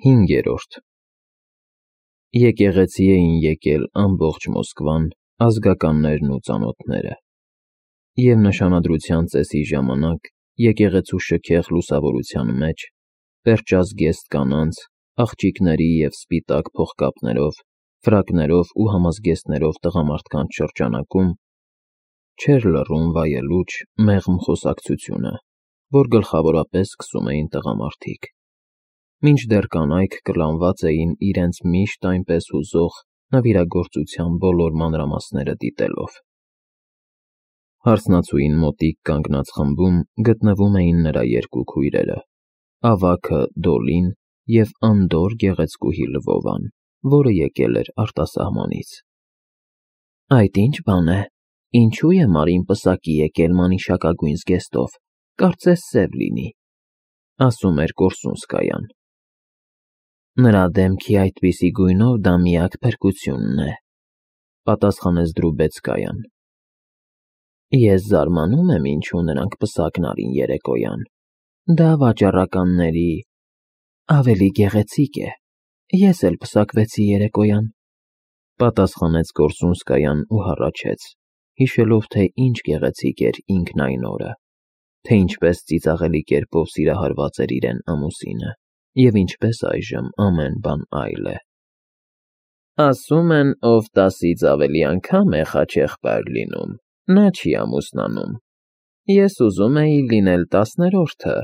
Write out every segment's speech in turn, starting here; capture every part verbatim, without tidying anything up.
Հինգերորդ Եկեղեցի էին եկել ամբողջ Մոսկվան ազգականներն ու ծանոթները, և նշանադրության ծեսի ժամանակ եկեղեցու շքեղ լուսավորության մեջ, պերճազգեստ կանանց, աղջիկների և սպիտակ փողկապներով, ֆրակներով ու համազգեստներով տղամարդկանց շրջանակում չէր լռում վայելուչ, մեղմ խոսակցությունը, որ գլխավորապես սկսում էին տղամարդիկ, մինչդեռ կանայք կլանված էին իրենց միշտ այնպես հուզող նվիրագործության բոլոր մանրամասները դիտելով։ Հարսնացուին մոտիկ կանգնած խմբում գտնվում էին նրա երկու քույրերը՝ ավագը Դոլին և անդորր գեղեցկուհի Լվովան, որը եկել էր արտասահմանից։ Այդ ի՞նչ բան է, ինչո՞ւ է Մարին պսակի եկել մանիշակագույն զգեստով, կարծես սև լինի, ասում էր Կորսունսկայան։ Նրա դեմքի այդպիսի գույնով դա միակ փրկությունն է, պատասխանեց Դրուբեցկայան։ Ես զարմանում եմ, ինչու նրանք պսակն արին երեկոյան, դա վաճառականների… ավելի գեղեցիկ է, ես էլ պսակվեցի երեկոյան, պատասխանեց Կորսունսկայան ու հառաչեց, հիշելով, թե ինչ գեղեցիկ էր ինքն այն օրը, թե ինչպես ծիծաղելի կերպով սիրահարված էր իրեն ամուսինը, և ինչպես այժմ ամեն բան այլ է։ Ասում են, ով տասից ավելի անգամ է խաչեղբայր լինում, նա չի ամուսնանում, ես ուզում էի լինել տասներորդը,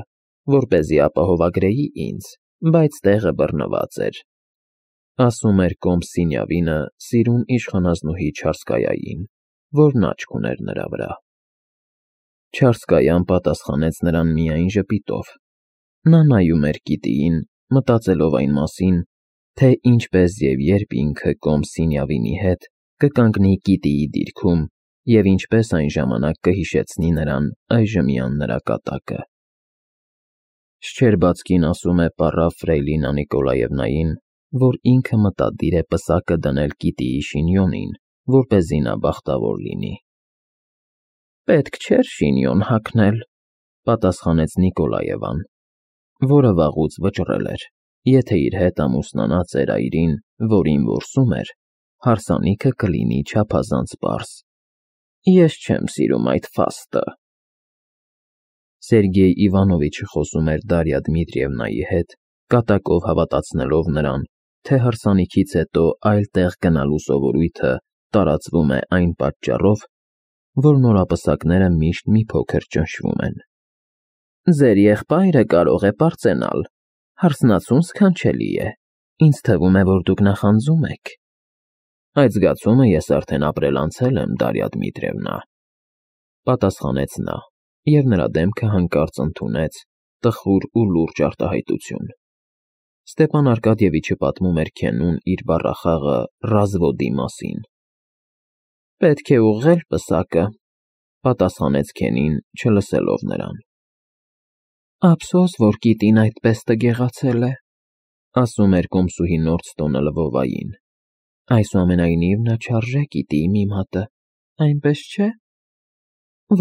որպեսզի ապահովագրեի ինձ, բայց տեղը բռնված էր, ասում էր Կոմս֊Սինյավինը սիրուն իշխանազնուհի Չարսկայային, որն աչք ուներ նրա վրա։ Չարսկայան պատասխանեց նրան միայն ժպիտով։ Նա նայում էր գիտիին, մտածելով այն մասին, թե ինչպես և երբ ինքը Կոմս֊Սինյավինի հետ կկանգնի գիտիի դիրքում և ինչպես այն ժամանակ կհիշեցնի նրան այժմյան նրա կատակը։ Շչերբացկին ասում է պառավ Ֆրեյլինա Նիկոլաևնային, որ ինքը մտադիր է պսակը դնել գիտիի շինյոնին, որպեսզի նա բախտավոր լինի։ Պետք չէր շինյոն հագնել, պատասխանեց Նիկոլաևան, որը վաղուց վճռել էր, եթե իր հետ ամուսնանած էր այրին, որին որսում էր, հարսանիքը կլինի չափազանց պարզ։ Ես չեմ սիրում այդ ֆաստը։ Սերգեյ Իվանովիչը խոսում էր Դարյա Դմիտրիևնայի հետ, կատակով հավատացնելով նրան, թե հարսանիքից հետո այլ տեղ գնալու սովորույթը տարածվում է այն պատճառով, որ նորապսակները միշտ մի փոքր ճնշվում են։ Ձեր եղբայրը կարող է պարծենալ, հարսնացուն սքանչելի է, ինձ թվում է, որ դուք նախանձում եք։ Այդ զգացումը ես արդեն ապրել անցել եմ, Դարյա Դմիտրիևնա, պատասխանեց նա, և նրա դեմքը հանկարծ ընդունեց տխուր ու լուրջ արտահայտություն։ Ստեպան Արկադիևիչը պատմում էր Քենուն իր բառախաղը Ռազվոդի մասին։ Պետք է ուղղել պսակը, պատասխանեց Քենին, չլսելով նրան։ Ափսոս, որ գիտին այդպես տգեղացել է, ասում էր կոմսուհի Նորդստոնը Լվովային։ Այսուամենայնիվ նա չարժե գիտիի մի մատը, այնպես չէ։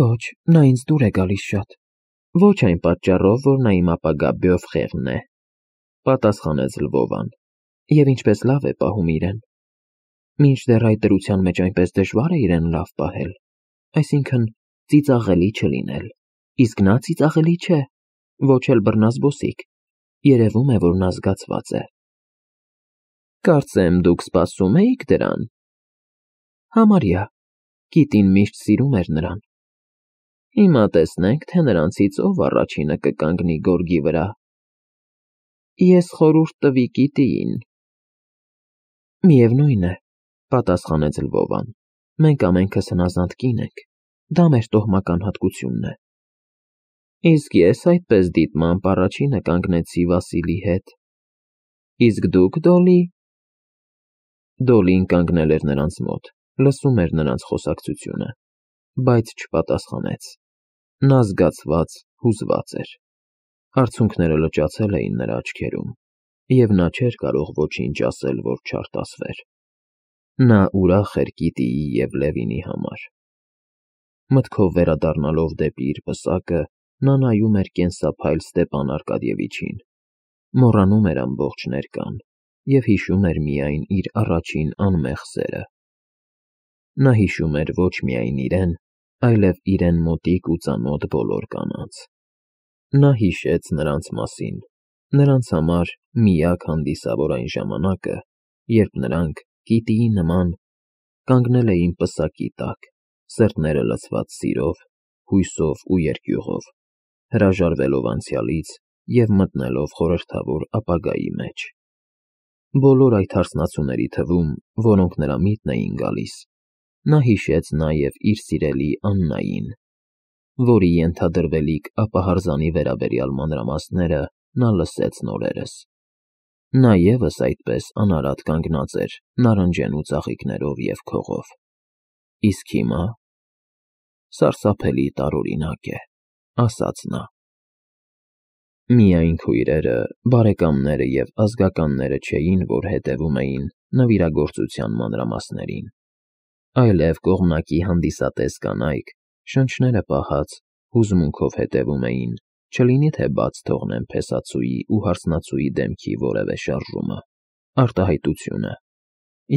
Ոչ, նա ինձ դուր է գալիս շատ, ոչ այն պատճառով, որ նա իմ ապագա բյոֆխեղն է, պատասխանեց Լվովան, և ինչպես լավ է պահում իրեն։ Մինչդեռ այդ դրության մեջ այնպես դժվար է իրեն լավ պահել, այսինքն ծիծաղելի չլինել, իսկ նա ծիծաղելի չէ, ոչ էլ բռնազբոսիկ, երևում է, որ նա զգացված է։ Կարծեմ դուք սպասում էիք դրան։ Համարյա, գիտին միշտ սիրում էր նրան։ Հիմա տեսնենք, թե նրանցից ով առաջինը կկանգնի գորգի վրա։ Ես խորհուրդ տվի գիտիին։ Միևնույն է, պատասխանեց Լվովան, մենք ամենքս հնազանդ կին ենք, դա մեր տոհմական հատկությունն է։ Իսկ ես այդպես դիտմամբ առաջինը կանգնեցի Վասիլի հետ։ Իսկ դուք, Դոլի… Դոլին կանգնել էր նրանց մոտ, լսում էր նրանց խոսակցությունը, բայց չպատասխանեց։ Նա զգացված, հուզված էր։ Արցունքները լճացել էին նրա աչքերում, և նա չէր կարող ոչինչ ասել, որ չարտասվեր։ Նա ուրախ էր գիտիի և Լևինի համար։ Մտքով վերադառնալով դեպի իր պսակը, նա նայում էր կենսափայլ Ստեպան Արկադիևիչին, մոռանում էր ամբողջ ներկան և հիշում էր միայն իր առաջին անմեղ սերը։ Նա հիշում էր ոչ միայն իրեն, այլև իրեն մոտիկ ու ծանոթ բոլոր կանանց։ Նա հիշեց նրանց մասին, նրանց համար միակ հանդիսավոր այն ժամանակը, երբ նրանք, գետիի նման, կանգնել էին պսակի տակ, սրտերը լցված սիրով, հույսով ու երկյուղով, հրաժարվելով անցյալից և մտնելով խորհրդավոր ապագայի մեջ։ Բոլոր այդ հարսնացուների թվում, որոնք նրա միտքն էին գալիս, նա հիշեց նաև իր սիրելի Աննային, որի ենթադրվելիք ապահարզանի վերաբերյալ մանրամասները նա լսեց նորերս։ Նա ևս այդպես անարատ կանգնած էր նարնջենու ծաղիկներով և քողով։ Իսկ հիմա… Սարսափելի տարօրինակ է, ասաց նա։ Միայն քույրերը, բարեկամները և ազգականները չէին, որ հետևում էին նվիրագործության մանրամասներին, այլև կողմնակի հանդիսատես կանայք, շնչները պահած, հուզմունքով հետևում էին, չլինի թե բաց թողնեն փեսացուի ու հարսնացուի դեմքի որևէ շարժումը, արտահայտությունը,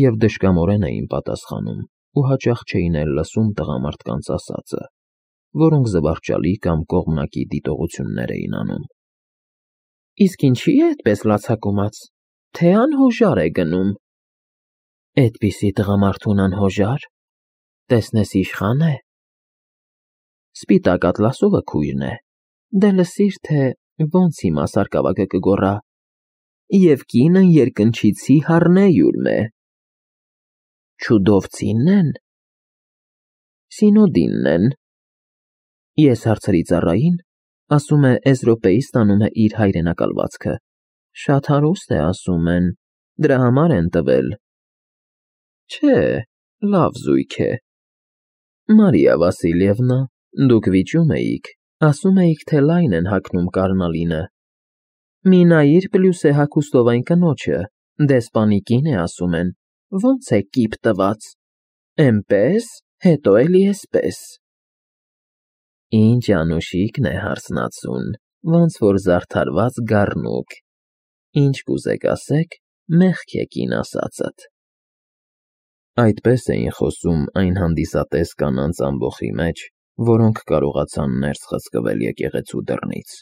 և դժկամորեն էին պատասխանում ու հաճախ չէին էլ լսում տղամարդկանց ասածը, որոնք զվարճալի կամ կողմնակի դիտողություններ էին անում։ Իսկ ինչի՞ է այդպես լացակումած, թե անհոժար է գնում։ Էդպիսի տղամարդուն անհոժա՞ր, տեսնես իշխա՞ն է։ Սպիտակ ատլասովը քույրն է, դե լսիր, թե ոնց հիմա սարկավագը կգոռա. «Եվ կինն երկնչիցի հառնեյուրմ է»։ Չուդովցի՞նն են։ Սինոդինն են։ Ես հարցրի ծառային, ասում է Էզրոպեից ստանում է իր հայրենակալվածքը, շատ հարուստ է, ասում են, դրա համար են տվել։ Չէ, լավ զույգ է։ Մարիա Վասիլևնա, դուք վիճում էիք, ասում էիք, թե լայն են հագնում կառնալինը։ Մի նայիր Պլյուսե հագուստով այն կնոջը, դեսպանիկին է, ասում են, ոնց է կիպ տված, էնպես, հետո էլի էսպես։ Ինչ անուշիկն է հարսնացուն, ոնց որ զարդարված գառնուկ, ինչ կուզեք ասեք, մեղք է կին ասածդ։ Այդպես էին խոսում այն հանդիսատես կանանց ամբոխի մեջ, որոնք կարողացան ներս խցկվել եկեղեցու դռնից։